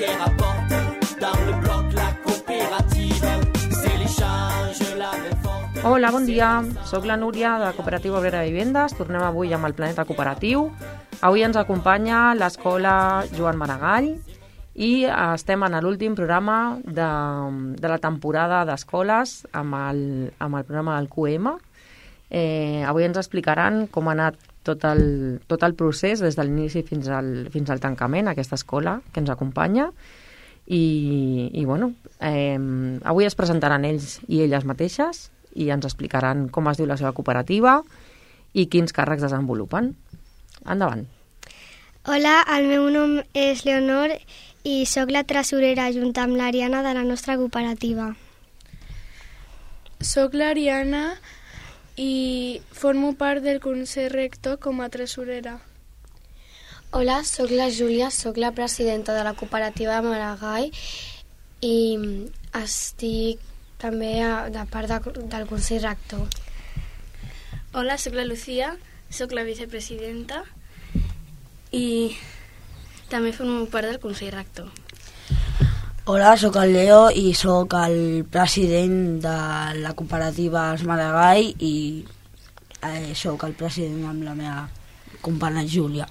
qui rapporte dans le bloc la coopérative, c'est l'échange, la main forte. Hola, bon dia. Soc la Núria de Cooperativa Obrera de Vivendes. Tornem avui amb el Planeta Cooperatiu. Avui ens acompanya l'escola Joan Maragall i estem en l'últim programa de la temporada d'escoles amb el programa del QM. Avui ens explicaran com ha anat tot el procés des de l'inici fins al tancament, aquesta escola que ens acompanya. I bueno, avui es presentaran ells i elles mateixes i ens explicaran com es diu la seva cooperativa i quins càrrecs desenvolupen. Endavant. Hola, el meu nom és Leonor i sóc la tresorera junt amb l'Ariana de la nostra cooperativa. Soc l'Ariana i formo part del Consell Rector com a tresorera. Hola, sóc la Júlia, sóc la presidenta de la cooperativa de Maragall i estic també de part del Consell Rector. Hola, sóc la Lucía, sóc la vicepresidenta i també formo part del Consell Rector. Hola, sóc el Leo i sóc el president de la cooperativa Maragall i sóc el president amb la meva companya Júlia.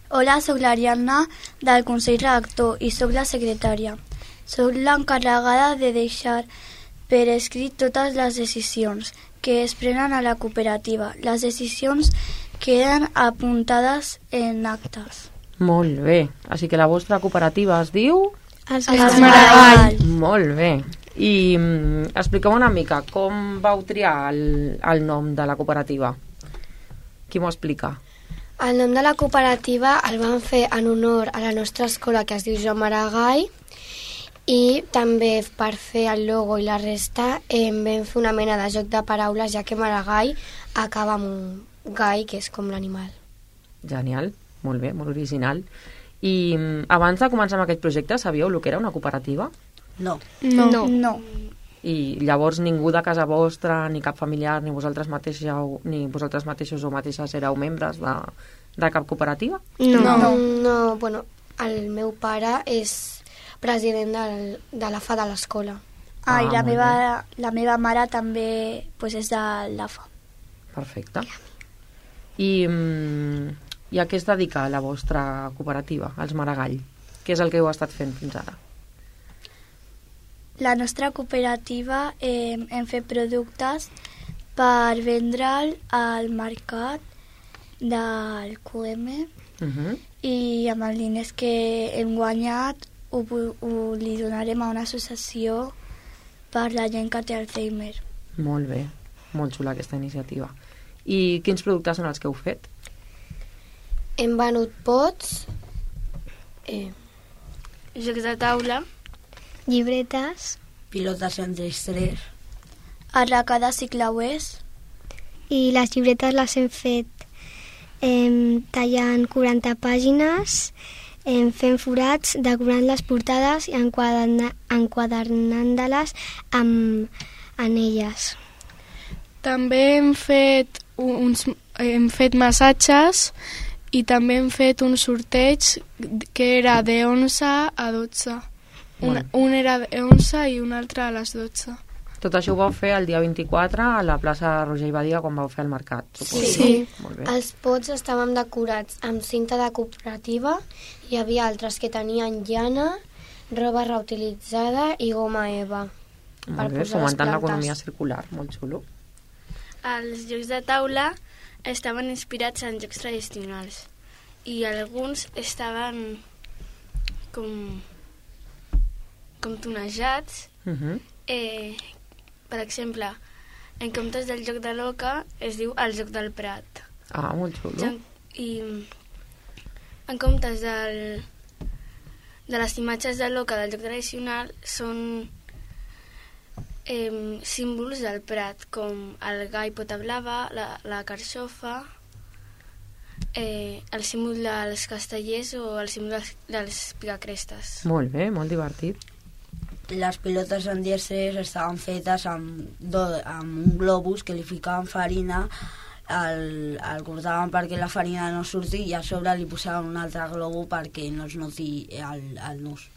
Hola, sóc l'Ariadna del Consell Rector i sóc la secretària. Sóc l'encarregada de deixar per escrit totes les decisions que es prenen a la cooperativa. Les decisions queden apuntades en actes. Molt bé. Així que la vostra cooperativa es diu... Els Maragall. Molt bé. I expliqueu una mica com vau triar el nom de la cooperativa. Qui m'ho explica? El nom de la cooperativa el vam fer en honor a la nostra escola que es diu Joan Maragall i també per fer el logo i la resta vam fer una mena de joc de paraules, ja que Maragall acaba amb un gai, que és com l'animal. Genial, molt bé, molt original. I abans de començar amb aquest projecte sabíeu el que era una cooperativa? No. No. I llavors ningú de casa vostra, ni cap familiar, ni vosaltres mateixos o mateixes éreu membres de cap cooperativa? No, bueno, el meu pare és president de l'AFA de l'escola. I la meva mare també és de l'AFA. Perfecte. I a què es dedica la vostra cooperativa, els Maragall? Què és el que heu estat fent fins ara? La nostra cooperativa hem fet productes per vendre'l al mercat del QM i amb els diners que hem guanyat li donarem a una associació per la gent que té Alzheimer. Molt bé, molt xula aquesta iniciativa. I quins productes són els que heu fet? Hem venut pots, Jocs de taula, llibretes Pilotes en 3-3, arracades i clauers. i les llibretes les hem fet tallant 40 pàgines, fent forats, decorant les portades i enquadernant-les en elles. També hem fet massatges i també hem fet un sorteig que era de 11 a 12. Un era de 11 i un altre a les 12. Tot això ho vau fer el dia 24 a la plaça Roger i Badia quan vau fer el mercat, suposo. Sí. Molt bé. Els pots estaven decorats amb cinta de cooperativa, hi havia altres que tenien llana, roba reutilitzada i goma Eva. Molt bé, fomentant l'economia circular, molt xulo. Els jocs de taula estaven inspirats en jocs tradicionals i alguns estaven com tonejats. Per exemple, en comptes del joc de l'oca es diu el joc del Prat. Ah, molt xulo. I en comptes de les imatges de l'oca del joc tradicional són símbols del Prat, com el gai pota blava, la carxofa, el símbol dels castellers o el símbol dels picacrestes. Molt bé, molt divertit. Les pilotes en 10 estaven fetes amb un globus que li ficaven farina, el cortaven perquè la farina no surti i a sobre li posaven un altre globus perquè no es noti el nus.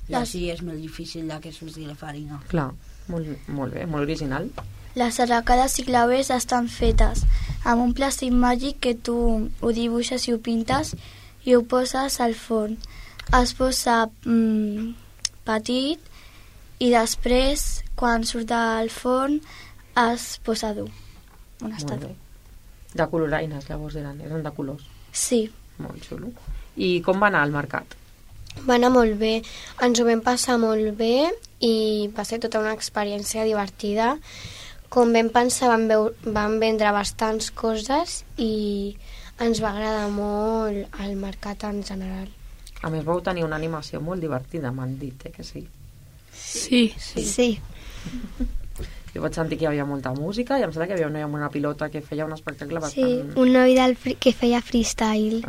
I així és molt difícil que surti la farina. Clar, molt bé, molt original. Les arracades i claves estan fetes amb un plàstic màgic que tu ho dibuixes i ho pintes i ho poses al forn. Es posa petit i després, quan surt del forn, es posa dur. On està dur. De coloraines, llavors eren de colors. Sí. Molt xulo. I com va anar al mercat? Va anar molt bé, ens ho vam passar molt bé i va ser tota una experiència divertida. Com vam pensar, vam vendre bastants coses i ens va agradar molt el mercat en general. A més, vau tenir una animació molt divertida, m'han dit, que sí? Sí. Jo vaig sentir que hi havia molta música i em sembla que hi havia una amb una pilota que feia un espectacle bastant... Sí, un noi que feia freestyle.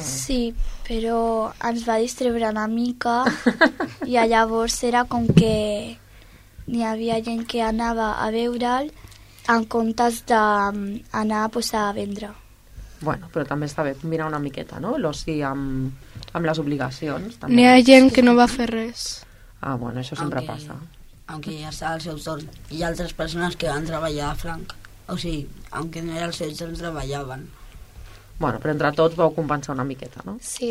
Sí, però ens va distreure una mica i llavors era com que n'hi havia gent que anava a veure'l en comptes d'anar a vendre. Bueno, però també està bé combinar una miqueta, no? L'oci amb les obligacions. També. N'hi ha gent que no va fer res. Ah, bueno, això sempre passa. Aunque ya está al seu torn. Hi ha altres persones que van treballar a franc. O sigui, aunque no era el seu torn, treballaven. Bueno, però entre tots vau compensar una miqueta, no? Sí.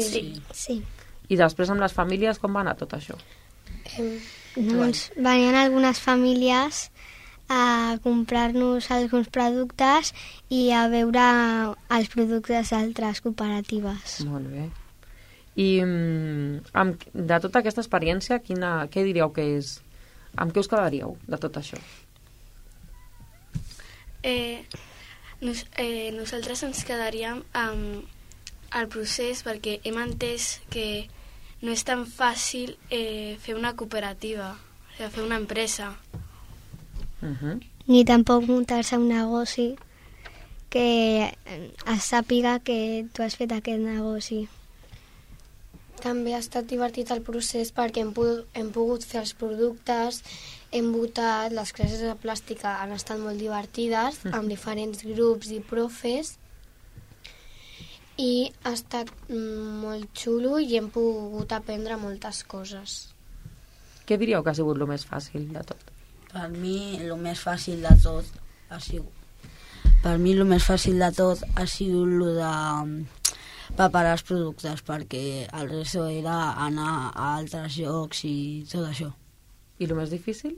I després amb les famílies com va anar tot això? Doncs venien algunes famílies a comprar-nos alguns productes i a veure els productes d'altres cooperatives. Molt bé. I de tota aquesta experiència, què diríeu que és? Amb què us quedaríeu de tot això? Nosaltres ens quedaríem amb el procés perquè hem entès que no és tan fàcil fer una cooperativa, o sigui, fer una empresa. Ni tampoc muntar-se un negoci que es sàpiga que tu has fet aquest negoci. També ha estat divertit el procés perquè hem pogut fer els productes, hem votat, les classes de plàstica han estat molt divertides, amb diferents grups i profes, i ha estat molt xulo i hem pogut aprendre moltes coses. Què diríeu que ha sigut el més fàcil de tot? Per mi, el més fàcil de tot ha sigut... Per mi, el més fàcil de tot ha sigut el de preparar els productes, perquè el resto era anar a altres llocs i tot això. I el més difícil?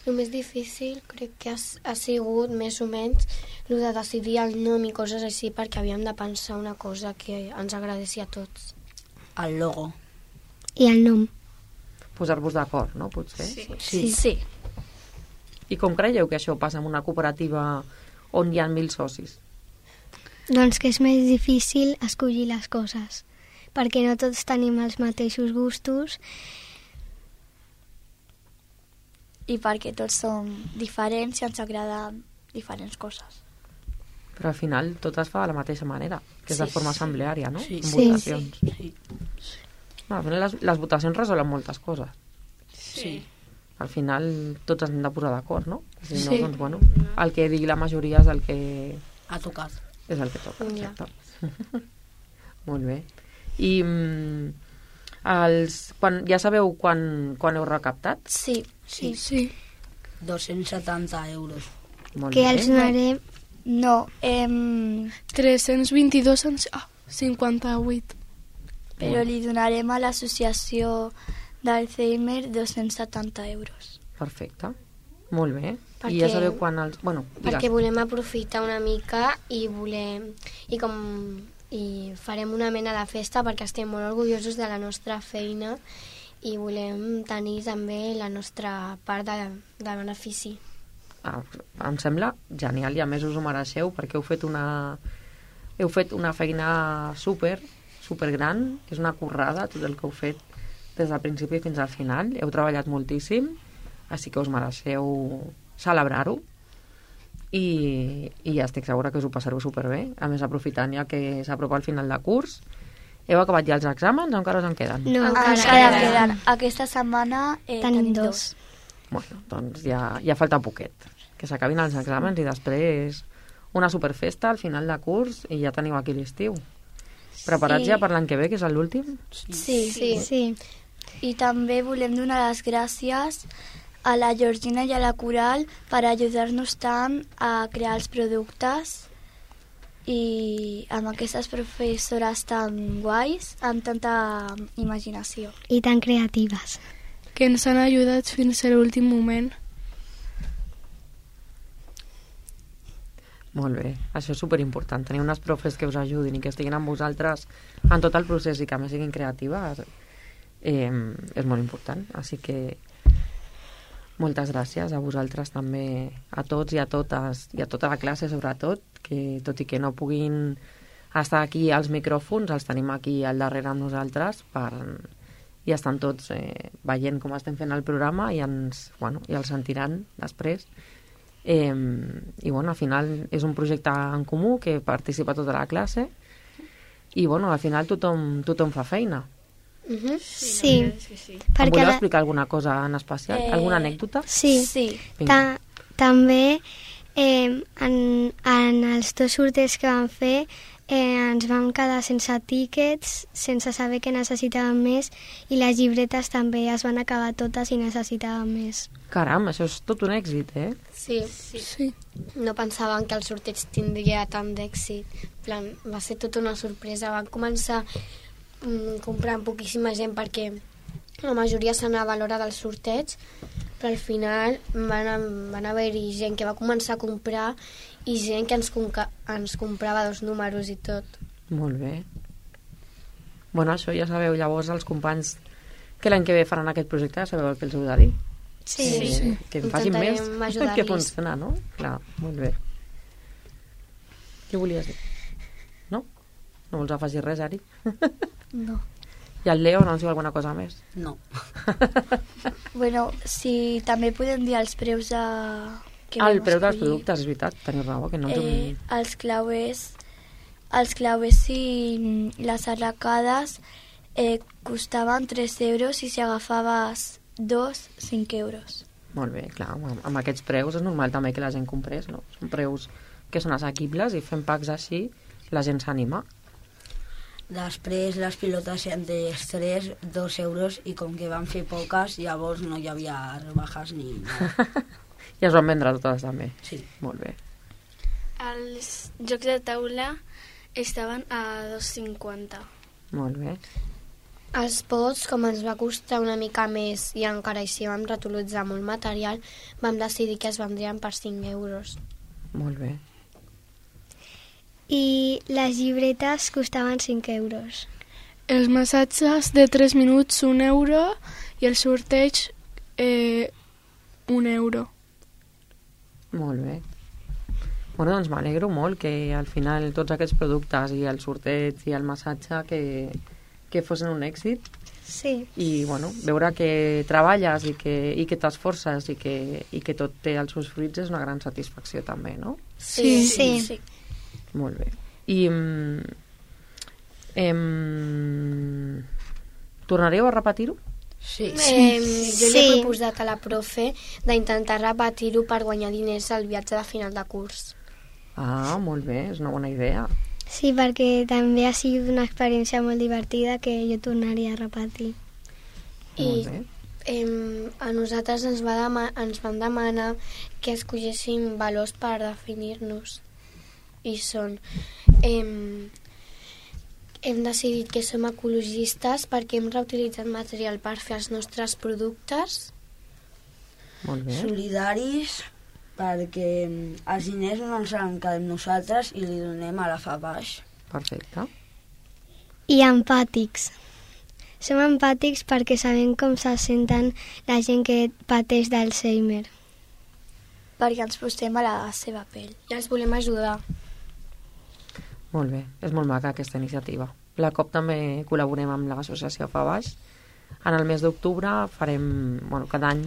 El més difícil crec que ha sigut més o menys el de decidir el nom i coses així, perquè havíem de pensar una cosa que ens agradessi a tots. El logo. I el nom. Posar-vos d'acord, no? Potser? Sí. I com creieu que això passa en una cooperativa on hi ha 1.000 socis? Doncs que és més difícil escollir les coses, perquè no tots tenim els mateixos gustos. I perquè tots som diferents i ens agraden diferents coses. Però al final tot es fa de la mateixa manera, que és de forma assembleària, no? Sí. En votacions. Sí. No, al final les votacions resolen moltes coses. Sí. Al final tots ens hem de posar d'acord, no? Si no, doncs, bueno, el que digui la majoria és el que... Ha tocat. És el que toca, exacte. Molt bé. I ja sabeu quan heu recaptat? Sí. 270 euros. Molt Que bé. els donarem... No, 322,58. però li donarem a l'associació d'Alzheimer 270 euros. Perfecte. Molt bé. Perquè- I ja sabeu quan els... Bueno, digues. Perquè volem aprofitar una mica i farem una mena de festa perquè estem molt orgullosos de la nostra feina i volem tenir també la nostra part de benefici. Em sembla genial i a més us ho mereixeu perquè heu fet una feina super gran, és una currada tot el que heu fet des del principi fins al final, heu treballat moltíssim, així que us mereixeu celebrar-ho i ja estic segura que us ho passareu superbé, a més aprofitant ja que s'apropa el final de curs. Heu acabat ja els exàmens o encara us en queden? No, Encara queden. Aquesta setmana tenim 2. Bueno, doncs ja falta poquet, que s'acabin els exàmens i després una superfesta al final de curs i ja teniu aquí l'estiu. Preparats ja per l'any que ve, que és l'últim? Sí. Sí. I també volem donar les gràcies a la Georgina i a la Coral per ajudar-nos tant a crear els productes i amb aquestes professores tan guais, amb tanta imaginació. I tan creatives. Que ens han ajudat fins a l'últim moment. Molt bé, això és superimportant, tenir unes profes que us ajudin i que estiguin amb vosaltres en tot el procés i que a més siguin creatives és molt important, així que moltes gràcies a vosaltres també, a tots i a totes i a tota la classe sobretot, que tot i que no puguin estar aquí als micròfons, els tenim aquí al darrere amb nosaltres i estan tots veient com estem fent el programa i els sentiran després. I bueno, al final és un projecte en comú que participa tota la classe i bueno, al final tothom fa feina. Sí. Em voleu explicar alguna cosa en especial? Alguna anècdota? Sí. També en els 2 sorteig que vam fer ens vam quedar sense tíquets, sense saber que necessitàvem més i les llibretes també es van acabar totes i necessitàvem més. Caram, això és tot un èxit, Sí. No pensàvem que el sorteig tindria tant d'èxit. Va ser tota una sorpresa. Van començar comprant poquíssima gent perquè la majoria s'anava a l'hora del sorteig, però al final van haver-hi gent que va començar a comprar i gent que ens comprava 2 números i tot. Molt bé. Bueno, això ja sabeu llavors els companys que l'any que ve faran aquest projecte, ja sabeu el que els heu de dir. Sí. Que en facin més ajudar-los. que funciona, no? Clar, molt bé. Què volies dir? No? No vols afegir res, Ari? No. I el Leo no ens diu alguna cosa més? No. Bueno, si també podem dir els preus de... El preu dels productes, és veritat, teniu raó, que no els clauers i les arracades costaven 3 euros i si agafaves 2, 5 euros. Molt bé, clar, amb aquests preus és normal també que la gent comprés, no? Són preus que són assequibles i fent packs així la gent s'anima. Després les pilotes eren de 3, 2 euros i com que van fer poques, llavors no hi havia rebajas ni nada. I es van vendre totes també. Sí. Molt bé. Els jocs de taula estaven a 2,50. Molt bé. Els pots, com ens va costar una mica més i encara així vam retolotzar molt material, vam decidir que es vendrien per 5 euros. Molt bé. I les llibretes costaven 5 euros. Els massatges de 3 minuts 1 euro i el sorteig 1 euro. Molt bé. Bueno, doncs m'alegro molt que al final tots aquests productes i el sorteig i el massatge que fossin un èxit. Sí. I bueno, veure que treballes i que t'esforces i que tot té els seus fruits és una gran satisfacció també, no? Sí. Molt bé. I tornaríeu a repetir-ho? Sí. Jo li he proposat a la profe d'intentar repetir-ho per guanyar diners al viatge de final de curs. Ah, molt bé, és una bona idea. Sí, perquè també ha sigut una experiència molt divertida que jo tornaria a repetir. Molt bé. A nosaltres ens van demanar que escolléssim valors per definir-nos. I són... Hem decidit que som ecologistes perquè hem reutilitzat material per fer els nostres productes. Molt bé. Solidaris, perquè els diners no ens en quedem nosaltres i li donem a la FABaix. Perfecte. I empàtics. Som empàtics perquè sabem com se senten la gent que pateix d'Alzheimer. Perquè ens posem a la seva pell. I els volem ajudar. Molt bé, és molt maca aquesta iniciativa. La COP també col·laborem amb l'associació FABaix. En el mes d'octubre farem, cada any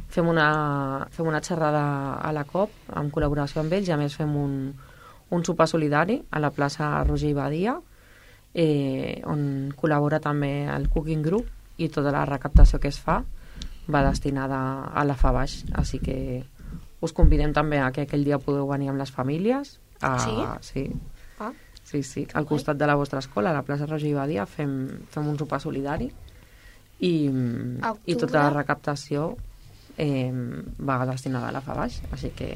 fem una xerrada a la COP en col·laboració amb ells i a més fem un sopar solidari a la plaça Roger i Badia on col·labora també el Cooking Group i tota la recaptació que es fa va destinada a la FABaix. Així que us convidem també a que aquell dia podeu venir amb les famílies. Sí. Sí, al costat de la vostra escola, a la plaça Roger i Badia, fem un sopar solidari i tota la recaptació va destinada a la FABaix, així que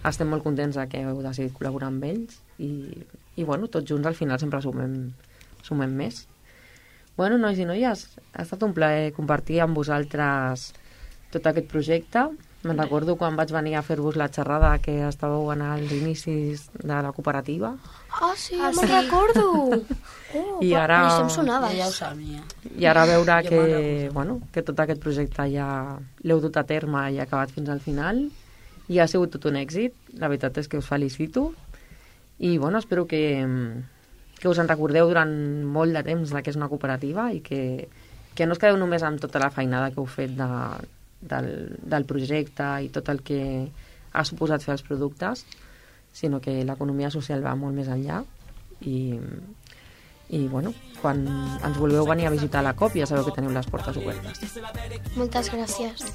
estem molt contents que heu decidit col·laborar amb ells i bueno, tots junts al final sempre sumem més. Bueno, nois i noies, ha estat un plaer compartir amb vosaltres tot aquest projecte. Me'n recordo quan vaig venir a fer-vos la xerrada que estàveu en els inicis de la cooperativa. Sí, me'n recordo! I ara... Això em sonava. Ja ho sabia. I ara veure que tot aquest projecte ja l'heu dut a terme i ha acabat fins al final i ha sigut tot un èxit. La veritat és que us felicito i bueno, espero que us en recordeu durant molt de temps que és una cooperativa i que no us quedeu només amb tota la feinada que heu fet del projecte i tot el que ha suposat fer els productes, sinó que l'economia social va molt més enllà i bueno, quan ens volveu venir a visitar la COP ja sabeu que teniu les portes obertes. Moltes gràcies.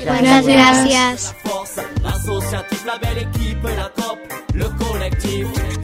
Moltes gràcies. L'associatif, la belle équipe, la COP, le collectif.